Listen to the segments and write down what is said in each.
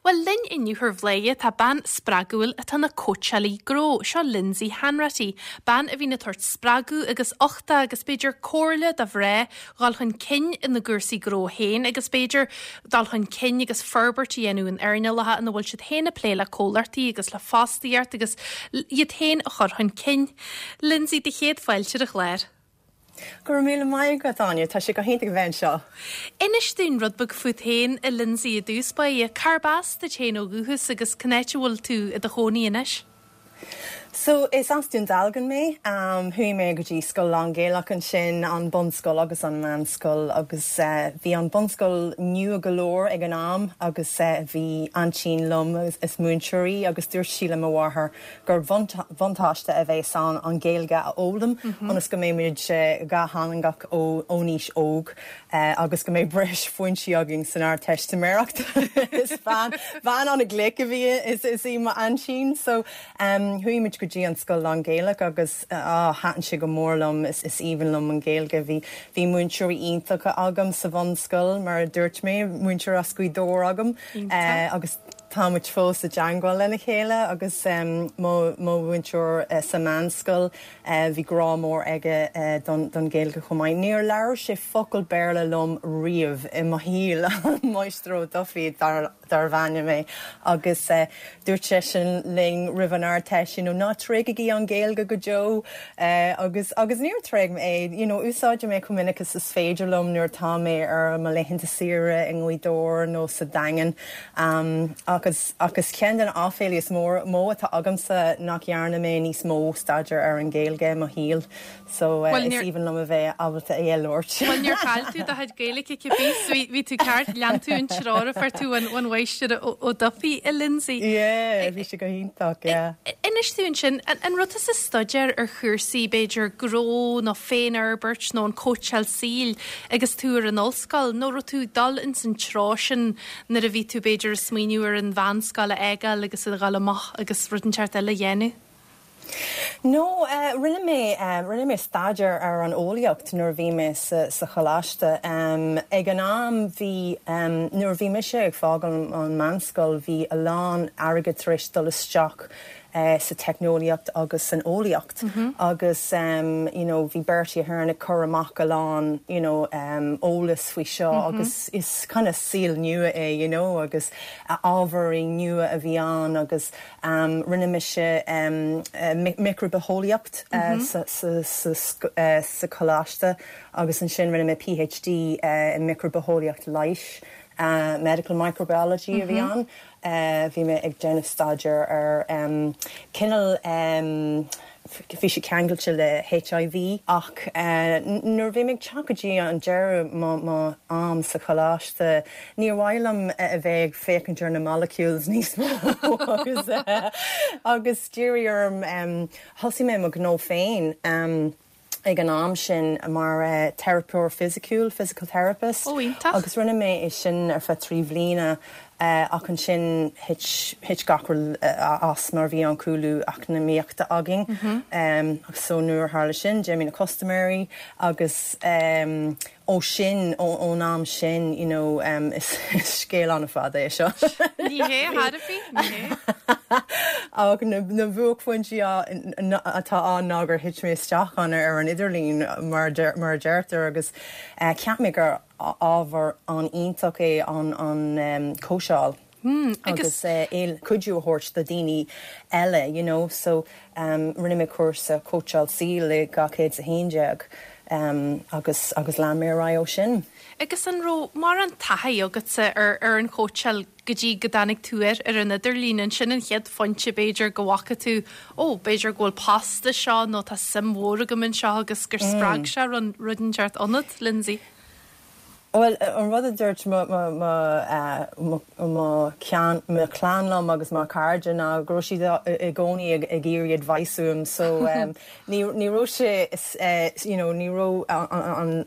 Bhuel, linn inniu ar Bhladhaire tá bean spreagúil atá ina cóitseálaí gnó, seo Lindsay Hanratty, bean a bhíonn ag tabhairt spreagadh agus uchtach agus b'fhéidir comhairle do mhná dhul chun cinn ina gcúrsaí gnó féin agus b'fhéidir dul chun cinn agus forbairt a dhéanamh in earnálacha ina bhfuil siad féin ag plé le comhlachtaí agus le fostaíocht agus iad féin a chur chun cinn. Lindsay, do chéad fáilte ar an chlár. Go raibh míle maith agat, Áine. Tá sé go hiontach a bheith anseo. Inis dúinn rud beag fút féin, a Lindsay, i dtús báire. Cárb as duit féin ó dhúchas agus cén áit a bhfuil tú i do chónaí anois? So, is as Dún Dealgan mé. Chuaigh mé go dtí scoil lán-Ghaelach ansin, an bunscoil agus an meánscoil agus bhí an bunscoil nua go leor ag an am agus bhí aintín liom is múinteoir í agus dúirt sí le mo mháthair gur bhuntáiste a bheas ann an Ghaeilge a fhoghlaim ionas go mbeidh muid dhátheangach ón aois óg agus go mbeidh breis phointí againn san Ardteistiméireacht. Is bean bean an-ghlic a bhí is is í m'aintín so chuaigh muid go dtí an scoil lán-Ghaelach agus ah thaitin sé go mór liom is is aoibhinn liom an Ghaeilge. Bhí bhí múinteoirí iontacha agam sa bhunscoil mar a dúirt mé, múinteoir as Gaoth Dobhair agam agus Tá muid fós i dteangmháil lena chéile agus mo mhúinteoir sa mheánscoil, bhí grá mór aige don Ghaeilge chomh maith. Níor labhair sé focal Béarla liom riamh i mo shaol, Máistir Ó Dufaigh darbh ainm é, agus dúirt seisean linn roimh an Ardteist, you know, ná tréigigí an Ghaeilge go deo agus agus níor thréig mé é, you know, úsáidim é chomh minic is is féidir liom nuair atá mé ar mo laethanta saoire i nGaoth Dobhair nó sa Daingean. Ach is ach is ceann de na áiféalaí is mór mó atá agamsa nach dhearna mé níos mó staidéar ar an Ghaeilge i mo shaol so is aoibhinn liom a bheith ábalta é a labhairt. Bhuel níor chaill tú do chuid Gaeilge cibé so bhí tú ceart, lean tú an treoir a fuair tú ón Mháistir Ó Dufaigh, a Lindsay. Yeah, bhí sé go hiontach, yeah. Inis dúinn ansin, an raibh tusa ag staidéar ar chúrsaí b'fhéidir gnó nó féinfhorbairt nó an cóitseáil saoil agus tú ar an ollscoil nó raibh tú ag dul ins an treo sin nuair a bhí tú b'fhéidir ag smaoineamh ar an mheánscoil a fhágáil agus a dhul amach agus rud inteacht eile a dhéanamh? No, rinne mé, rinne mé staidéar ar an eolaíocht nuair a bhí mé sa, sa choláiste. Ag an am bhí, nuair a bhí mise ag fágáil an meánscoil bhí a lán airgead tar éis dul isteach sa teicneolaíocht agus san eolaíocht agus you know bhí Bertie Ahern ag cur amach a lán you know eolas faoi seo agus is kind of saol nua é you know agus ábhairí nua a bhí ann agus rinne mise micribhitheolaíocht sa choláiste agus ansin rinne mé PhD i micribhitheolaíocht leighis, medical microbiology a bhí ann. Bhí mé ag déanamh staidéar ar cineál, bhí sé ceangailte le HIV ach nuair a bhí mé ag teacht go dtí an deireadh mo am sa choláiste níor mhaith liom a bheith ag féachaint ar na molecules níos mó agus agus d'iarr orm, thosaigh mé mo ghnó féin. ag an am sin mar teiripeoir fisiciúil, physical therapist, Ó, iontach. agus rinne mé é sin ar feadh 3 bhliana ach ansin thit, thit gach rud as mar bhí an cúlú eacnamaíochta againn. So nuair a tharla sin, d'imigh na custaiméirí agus Ó sin, ón am sin, you know, is scéal an-fhada é seo. Ní hé, a Thairbhí, ní hé. Ach na buaicphointí atá ann ná gur thit mé isteach ann ar an idirlíon, mar a deirtear, agus cheap mé gur ábhar an-iontach é an cóitseáil. agus é cuidiú a thabhairt do daoine eile you know so rinne mé cúrsa cóitseáil saoil i 2011 agus agus lean mé ar aghaidh ó sin. Agus an raibh mórán taithí agatsa ar ar an chóitseáil go dtí go dtáinig tú air ar an idirlíon? An sin an chéad phointe b'fhéidir go bhfaca tú ó b'fhéidir go bhfuil post anseo nó tá suim mhór agam anseo agus gur spreag sé rud inteacht ionat, Lindsay? Bhuel, an rud a dúirt mo mo chlann liom agus mo chairde ná go raibh siad i gcónaí ag iarraidh advice uaim so ní ní raibh sé you know ní raibh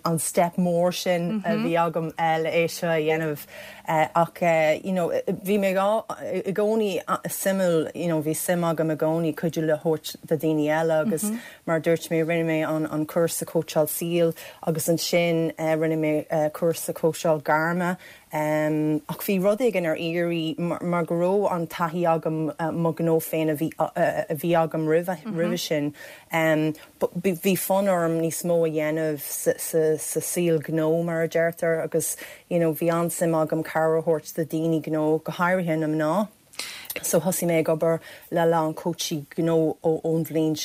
an step mór sin a bhí agam le é seo a dhéanamh ach you know bhí mé i gcónaí suimiúil you know bhí suim agam i gcónaí cuidiú le thabhairt do daoine eile agus Mar a dúirt mé, rinne mé an cúrsa cóitseáil saoil agus ansin rinne mé cúrsa. sa chóitseáil gairme ach bhí rud éigin ar iarraidh mar go raibh an taithí agam mo ghnó féin a bhí a bhí agam roimhe roimhe sin bhí fonn orm níos mó a dhéanamh sa sa sa saol gnó mar a deirtear agus you know bhí an-suim agam cabhair a thabhairt do daoine gnó go háirithe na mná. So thosaigh mé ag obair le a lán cóitsí gnó ón bhliain,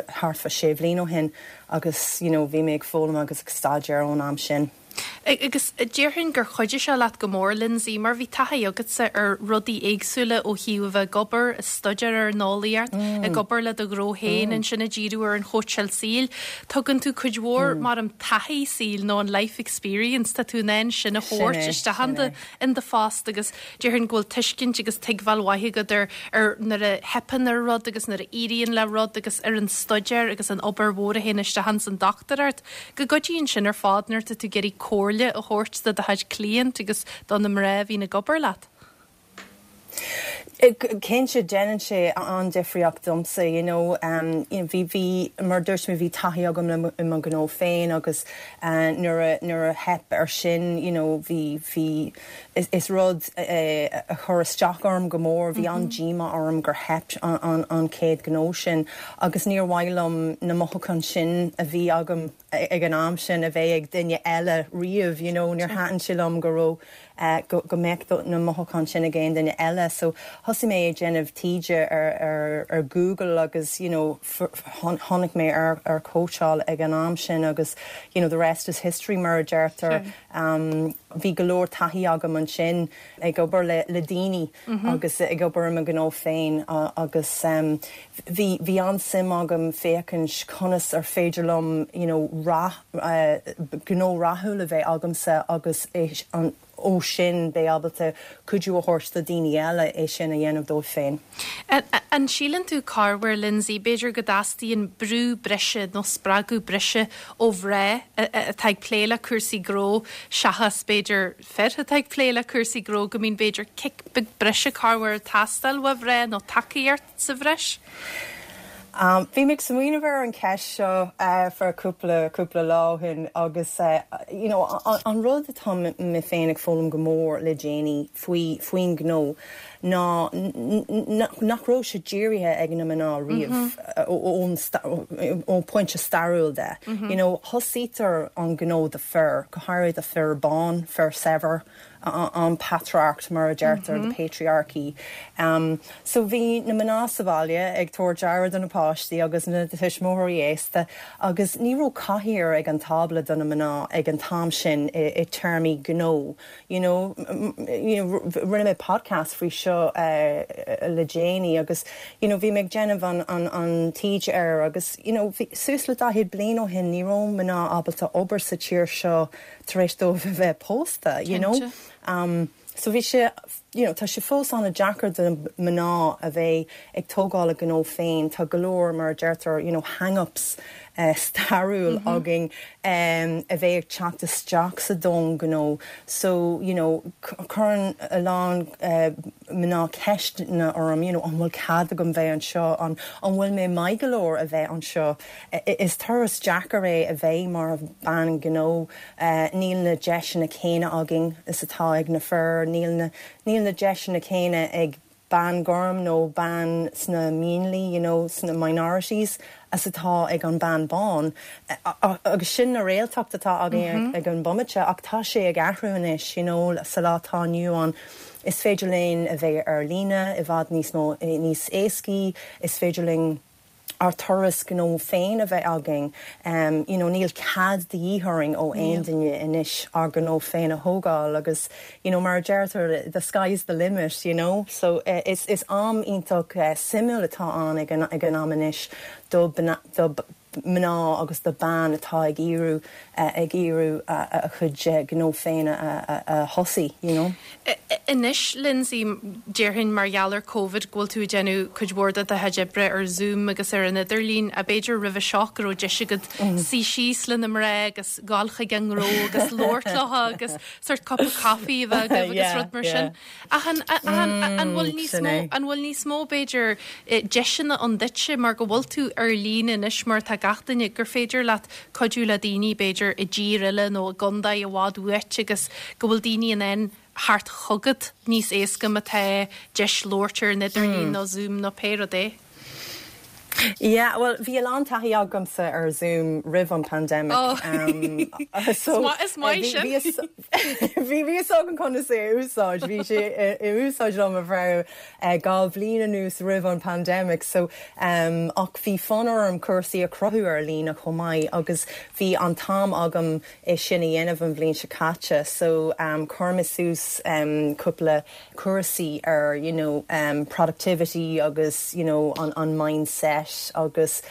thart fá sé bhliain ó shin agus you know bhí mé ag foghlaim agus ag staidéar ón am sin. Agus déarfainn gur chuidigh sé leat go mór, Lindsay, mar bhí taithí agatsa ar rudaí éagsúla ó thaobh a bheith ag obair, ag staidéar ar an eolaíocht, ag obair le do ghnó féin, ansin ag díriú ar an chóitseáil saoil. Tugann tú cuid mhór, mar an taithí saoil nó an life experience, tá tú in ann sin a thabhairt isteach in do phost agus Déarfainn go bhfuil tuiscint agus tuigbheáil mhaith agat ar ar nuair a theipeann ar rud agus nuair a éiríonn le rud agus ar an staidéar agus an obair mhór a théann isteach ins an dochtúireacht. Go gcuidíonn sin ar fad nuair atá tú ag iarraidh comhairle a thabhairt do do chuid cliant agus do na mná a bhíonn ag obair leat. Cinnte, déanann sé an-difríocht domsa, you know. Bhí, bhí, mar a dúirt mé, bhí taithí agam le i mo ghnó féin agus nuair a, nuair a theip ar sin, you know, bhí, bhí, Is rud a chuir isteach orm go mór, bhí an-díomá orm gur theip an chéad ghnó sin agus níor mhaith liom na mothúcháin sin a bhí agam ag an am sin a bheith ag duine eile riamh, you know, níor thaitin sé liom go raibh, go mbeadh na mothúcháin sin ag aon duine eile. So thosaigh mé ag déanamh taighde ar Google agus, you know, tháinig mé ar chóitseáil ag an am sin agus, you know, the rest is history mar a deirtear. Bhí go leor taithí agam ansin ag obair le daoine agus ag obair i mo ghnó féin agus bhí bhí an-suim agam féachaint conas ar féidir liom you know rath, gnó rathúil a bheith agamsa agus an ó sin bheith ábalta cuidiú a thabhairt do daoine eile é sin a dhéanamh dóibh féin. An síleann tú corruair, Lindsay, b'fhéidir go dteastaíonn brú breise nó spreagadh breise ó mhná atá ag plé le cúrsaí gnó seachas b'fhéidir fir atá ag plé le cúrsaí gnó, go mbíonn b'fhéidir cic beag breise corruair ag teastáil ó mhná nó tacaíocht sa bhreis? Bhí mé ag smaoineamh ar an cheist seo for cúpla cúpla lá ó shin agus you know an rud atá mé féin ag foghlaim go mór le déanaí faoi faoin ngnó ná nach raibh sé dírithe ag na mná riamh ón ó pointe stairiúil de. You know thosaítear an gnó do fir, go háirithe do fir bán, fir saibhir, an patrarcacht mar a deirtear, the patriarchy. So bhí na mná sa bhaile ag tabhairt aire do na páistí agus na tuismitheoirí aosta agus ní raibh cathaoir ag an tábla do na mná ag an t-am sin i téarmaí gnó. You know, you know, rinne mé podcast faoi seo le déanaí agus you know bhí mé ag déanamh an, an, an taighde air agus you know bhí suas le 40 bliain ó shin ní raibh mná ábalta obair sa tír seo tar éis dóibh a bheith pósta, you know. Um, so bhí sé, you know, tá sé fós an-deacair do mná a bheith ag tógáil a gnó féin, tá go leor mar a deirtear, you know, hang-ups uh, stairiúil mm -hmm. againn um, a bheith ag teacht isteach sa domhan gnó. So, you know, cuireann a lán uh, mná ceisteanna orm, you know, an bhfuil cead agam bheith anseo, an, an bhfuil mé maith go leor a bheith anseo. Is turas deacair é a bheith mar bhean ghnó. Níl na deiseanna céanna againn is atá ag na fir. Níl na, níl na deiseanna céanna ag bean gorm nó bean sna mionlaigh, you know, sna minorities, as atá ag an bean bán. Agus sin na réaltacht atá againn ag an bomaite ach tá sé ag athrú anois, you know, sa lá atá inniu ann. Is féidir linn a bheith ar líne i bhfad níos mó, níos éascaí, is féidir linn, ár turas gnó féin a bheith againn. You know, níl cead de dhíth orainn ó aon duine anois ár gnó féin a thógáil agus, you know, mar a deirtear, the sky's the limit, you know. So is is am iontach suimiúil atá ann ag an ag an am anois do do mná agus do bean atá ag iarraidh ag iarraidh a chuid gnó féin a a thosaí, you know. Anois, Lindsay, déarfainn mar gheall ar Covid go bhfuil tú ag déanamh cuid mhór de do chuid oibre ar Zoom agus ar an idirlíon, ach b'fhéidir roimhe seo go raibh deis agat suí síos le na mná agus gabháil chuig an ngnó agus labhairt leo agus sort cupa caife a bheith agaibh agus rud mar sin. Ach an, an, an bhfuil níos mó, an bhfuil níos mó b'fhéidir deiseanna ann duitse mar go bhfuil tú ar líne anois mar atá gach. gach duine, gur féidir leat cuidiú le daoine b'fhéidir i dtír eile nó i gcontae i bhfad uait agus go bhfuil daoine in ann theacht chugat níos éasca má tá deis labhairt ar an idirlíon nó Zoom nó pé rud é. Yeah, bhuel bhí a lán taithí agamsa ar Zoom roimh an pandemic. Oh. So, is maith sin. Bhí fhios agam conas é a úsáid, bhí sé i úsáid liom ar feadh 2 bhliain anuas roimh an pandemic so ach bhí fonn orm cúrsaí a chruthú ar líne chomh maith agus bhí an t-am agam é sin a dhéanamh an bhliain seo caite so chuir mé suas cúpla cúrsaí ar you know productivity agus you know an an mindset agus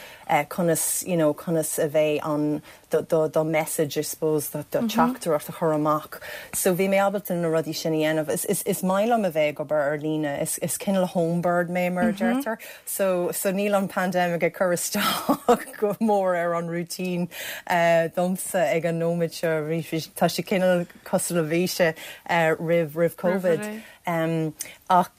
conas you know conas a bheith an do do do message I suppose do do teachtaireacht a chur amach. So bhí mé ábalta na rudaí sin a dhéanamh. Is is is maith liom a bheith ag obair ar líne. Is is cineál homebird mé mar a deirtear. So so níl an pandemic ag cur isteach go mór ar an routine domsa ag an nóiméad seo. Bhí tá sé cineál cosúil le bhí sé roimh roimh Covid. Ach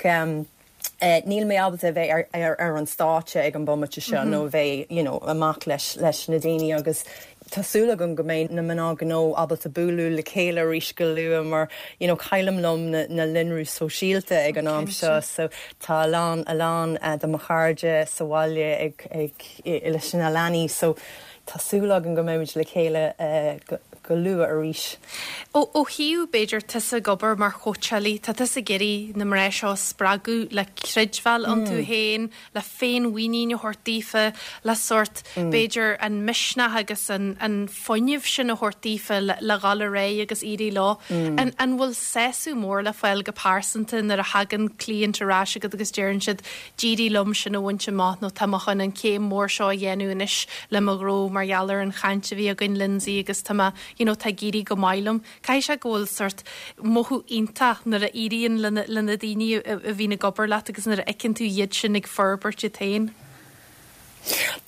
níl mé ábalta a bheith ar ar an stáitse ag an bomaite seo nó a bheith you know amach leis leis na daoine agus tá súil agam go mbeidh na mná gnó ábalta bualadh le chéile arís go luath mar you know caillim liom na na líonraí sóisialta ag an am seo so tá a lán a lán de mo chairde sa bhaile ag ag leis na leanaí so tá súil agam go mbeimid le chéile go luath arís. Ó thaobh, b'fhéidir, tusa ag obair mar chóitseálaí, tá tusa ag iarraidh na mná seo a spreagadh le creidbheáil iontu féin, le féinmhuinín a thabhairt daofa, le sórt, b'fhéidir, an misneach agus an an fuinneamh sin a thabhairt daofa le le dhul ar aghaidh agus éirí leo. An an bhfuil sásamh mór le fáil go pearsanta nuair a thagann cliant ar ais agat agus deireann siad d'éirigh liom sin a bhaint amach nó tá mé chun an chéim mhór seo a dhéanamh anois le mo ghnó mar gheall ar an chaint a bhí againn Lindsay agus tá mé you know tá ag éirí go maith liom. Caithfidh sé go bhfuil sórt mothú iontach nuair a éiríonn le le na daoine a bhíonn ag obair leat agus nuair a fheiceann tú iad sin ag forbairt iad féin.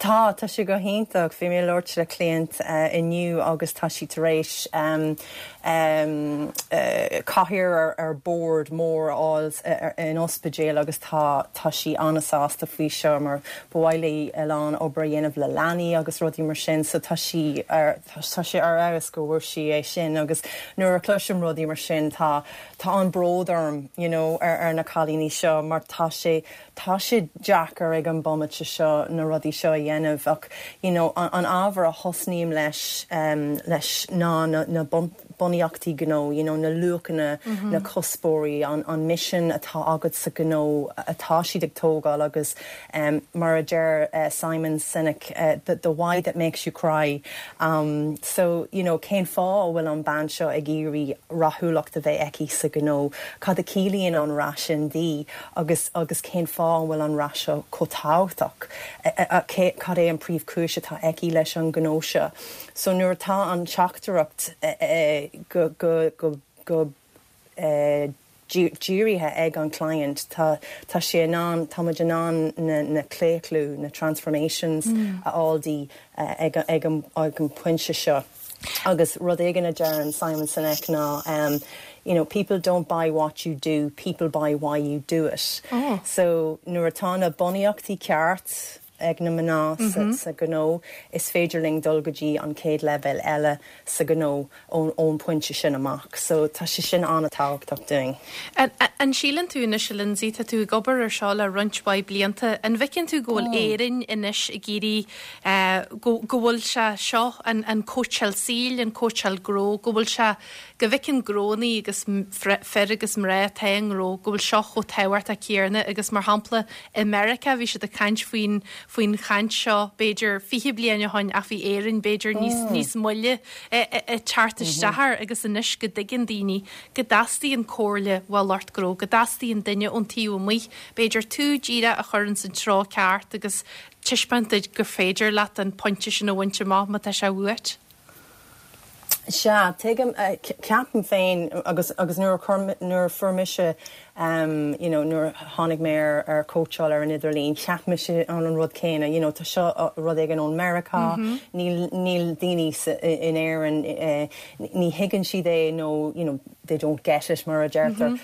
Tá, tá sé go hiontach. Bhí mé ag labhairt le client inniu agus tá sí tar éis cathaoir ar bord mór a fháil in ospidéal agus tá tá sí an-sásta faoi seo mar ba mhaith léi a lán obair a dhéanamh le leanaí agus rudaí mar sin so tá sí ar tá sé ar fheabhas go bhfuair sí é sin agus nuair a chloisim rudaí mar sin tá tá an-bród orm you know ar ar na cailíní seo mar tá sé Tá sé deacair ag an bomaite seo na rudaí seo a dhéanamh ach you know an ábhar a thosnaím leis leis ná na na bunaíochtaí gnó, you know na luachanna, na cuspóirí, an an misean atá agat sa ghnó atá siad ag tógáil agus mar a deir Simon Sinek the the why that makes you cry. So you know cén fáth a bhfuil an bean seo ag iarraidh rathúlacht a bheith aici sa ghnó, cad a chiallaíonn an rath sin di? agus agus cén fáth an bhfuil an rath seo chomh tábhachtach, cad é an príomhchúis atá aici leis an ghnó seo. So nuair atá an teachtaireacht go go go go dírithe ag an client, tá tá sé in ann, tá muid in ann na na claochlú, na transformations a fháil di ag ag an ag an pointe seo. Agus rud éigin a deireann Simon Sinek ná you know, people don't buy what you do, people buy why you do it. Oh. So nuair atá na bunaíochtaí ceart ag na mná mm -hmm. sa gnó, is féidir linn dul go dtí an chéad leibhéal eile sa gnó ón ón pointe sin amach. So tá sé sin an-tábhachtach dúinn. An síleann tú anois, a Lindsay, tá tú ag obair ar seo le roinnt mhaith blianta, an bhfeiceann tú go bhfuil mm. Éirinn anois ag iarraidh go bhfuil sé seo, an cóitseáil saoil, an cóitseáil gnó, go bhfuil sé, go bhfeiceann gnónnaí agus fir agus mná atá i ngnó, go bhfuil seo chomh tábhachtach céanna agus mar shampla i Meiriceá bhí siad ag caint faoin, faoin chaint seo b'fhéidir 20 bliain ó shoin ach bhí Éirinn b'fhéidir níos, níos moille ag teacht isteach air agus anois go dtuigeann daoine go dteastaíonn comhairle ó lucht gnó, go dteastaíonn duine ón taobh amuigh, b'fhéidir tú díreach a chur ins an treo ceart agus taispeáint duit gur féidir leat an pointe sin a bhaint amach má tá sé uait. Sea, tuigim, ceapaim féin agus agus nuair a chuir, nuair a fuair mise you know nuair a tháinig mé ar ar cóitseáil ar an idirlíon, cheap mise an an rud céanna, you know tá seo rud éigin ón Meiriceá, níl níl daoine sa in Éirinn ní thuigeann siad é nó you know they don't get it mar a deirtear.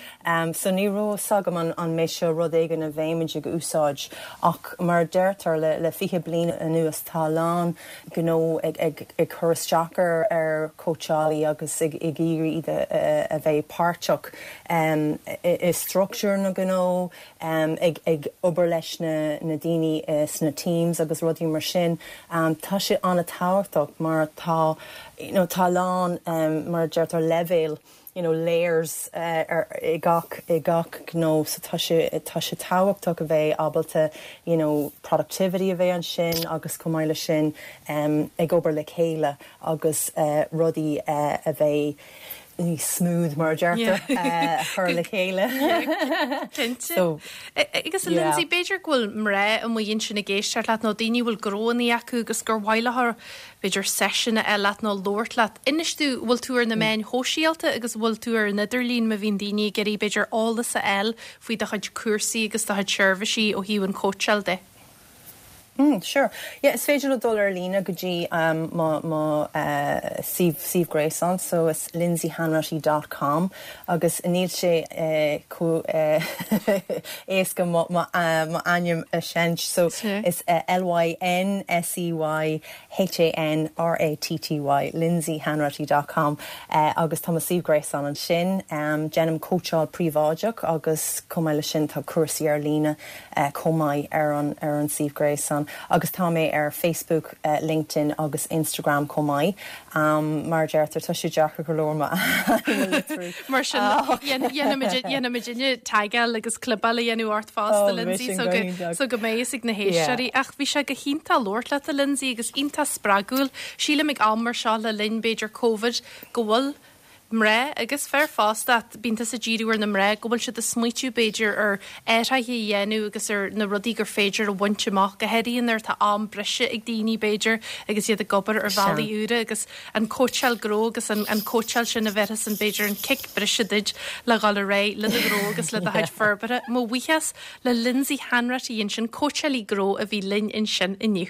So ní raibh fhios agam an an mbeidh seo rud éigin a bheimid ag úsáid ach mar a deirtear le le 20 bliain anuas tá a lán gnó ag ag ag cur isteach ar ar chóitseálaí agus ag ag iarraidh iad a a bheith páirteach i struchtúr na gnó, ag ag obair leis na na daoine sna teams agus rudaí mar sin. Tá sé an-tábhachtach mar tá you know tá a lán mar a deirtear leibhéal you know layers ar i gach i gach gnó so tá sé tá sé tábhachtach a bheith ábalta you know productivity a bheith ansin agus chomh maith leis sin ag obair le chéile agus rudaí a bheith níos smooth mar a deirtear a chur le chéile. Cinnte. So Agus a Lynsey b'fhéidir go bhfuil mná amuigh ansin ag éisteacht leat nó daoine a bhfuil gnóanna acu agus gur mhaith leo b'fhéidir seisiún a fháil leat nó labhairt leat. Inis dúinn, bhfuil tú ar na meáin shóisialta agus bhfuil tú ar an idirlíon má bhíonn daoine ag iarraidh b'fhéidir eolas a fháil faoi do chuid cúrsaí agus do chuid seirbhísí ó thaobh an chóitseáil de? Mm, sure. Yeah, is féidir leo dul ar líne go dtí um, mo, mo uh, suíomh, suíomh gréasáin, so is lynseyhanratty dot com agus níl sé uh, chomh uh, éasca mo, mo, uh, mo ainm a seinnt, so is uh, L-Y-N-S-E-Y H-A-N-R-A-T-T-Y, lynseyhanratty dot com, agus tá mo suíomh gréasáin ansin. Déanaim cóitseáil príobháideach agus chomh maith leis sin tá cúrsaí ar líne chomh maith ar an ar an suíomh gréasáin. Agus tá mé ar Facebook, LinkedIn agus Instagram chomh maith. Mar a deirtear, tá sé deacair go leor m'ainm a litriú. Mar sin, dhéanfaimidne tagáil agus clibeáil a dhéanamh ort fosta, Lynsey, so go, so go mbeidh fhios ag na héisteoirí. Ach bhí sé go hiontach labhairt leat, a Lynsey, agus iontach spreagúil. Sílim ag am mar seo le linn, b'fhéidir, Covid, go bhfuil mná agus fir fosta, ach bíonn tusa ag díriú ar na mná, go bhfuil siad ag smaoitiú, b'fhéidir, ar athruithe a dhéanamh agus ar na rudaí gur féidir a bhaint amach, go háirithe nuair atá am breise ag daoine, b'fhéidir, agus iad ag obair ar bhealaí úra agus an cóitseáil gnó agus an an cóitseáil sin a bhéarfas an b'fhéidir an cic breise duit le dhul ar aghaidh le do ghnó agus le do chuid forbartha. Mo bhuíochas le Lynsey Hanratty ansin, cóitseálaí gnó a bhí linn ansin inniu.